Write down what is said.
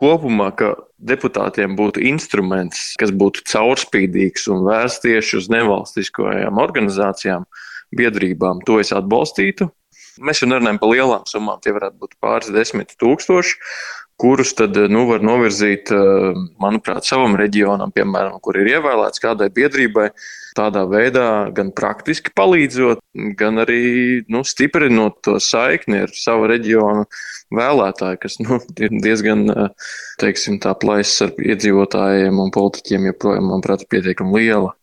kopumā, ka deputātiem būtu instruments, kas būtu caurspīdīgs un vērsts tieši uz nevalstiskajām organizācijām, biedrībām, to es atbalstītu. Mēs jau nerunājam par lielām summām, tie varētu būt pāris 10,000, kurus tad var novirzīt, manuprāt, savam reģionam, piemēram, kur ir ievēlēts kādai biedrībai, tādā veidā gan praktiski palīdzot, gan arī stiprinot to saikni ar savu reģionu vēlētāju, kas ir diezgan, teiksim, tā plaisa ar iedzīvotājiem un politiķiem joprojām, manuprāt, ir pietiekami liela.